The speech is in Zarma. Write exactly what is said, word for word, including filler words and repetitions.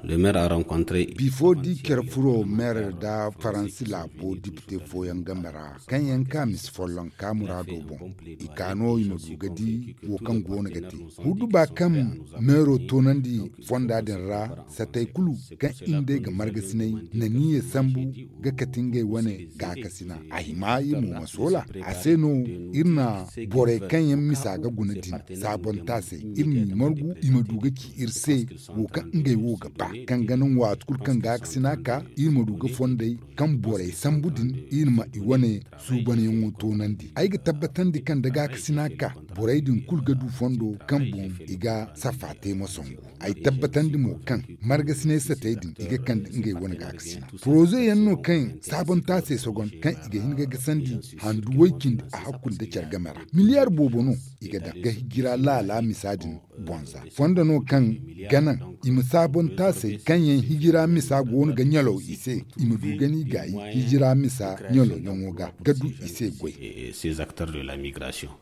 Le maire a rencontre. Bifo di care furo maire nda faransi laabo dipite fooyaŋ game ra kaŋ yaŋ ka misi folloŋ ka muraado boŋ, i ka no i ma du ga di wo kaŋ go no ga te huduba kaŋ meero toonandi fonda din ra. Satey kulu kaŋ i nd'ey ga margasinay na niiya sambu ga kate ngey wane gaakasina a hima iri mo ma soola a se no iri na borey kaŋ yaŋ misa ga guna din saabontaasey iri m'i margu i ma du ga ci iri se wo kaŋ ngey wo ga ba kaŋ ga naŋ waati kulu kaŋ gaakasina ka iri ma du ga fondey kaŋ borey sambu din iri ma i wane suubanyaŋo toonandi ay ga tabbatandi kaŋ da gaakasina ka borey din kulu ga du fondo kaŋ boŋ i ga safa te ma songu. Ay tabbatandi mo kaŋ margasinay satey din i ga kande ngey wane gaakasina poroze yaŋ no kaŋ saabontaasey sogon kaŋ i ga hin ga gasandi handu way-cindi a hakkul nda care game ra miliyar boobo no i ga daŋ ga hijira laala misa din boŋ za fondo no kaŋ ga naŋ i ma saabontaasey kaŋ yaŋ hijira misa go no ga ɲalaw i se i ma du ga ni gaayi hijira misa ɲalawyaŋo ga ga du i se goy. Ces acteurs de la migration.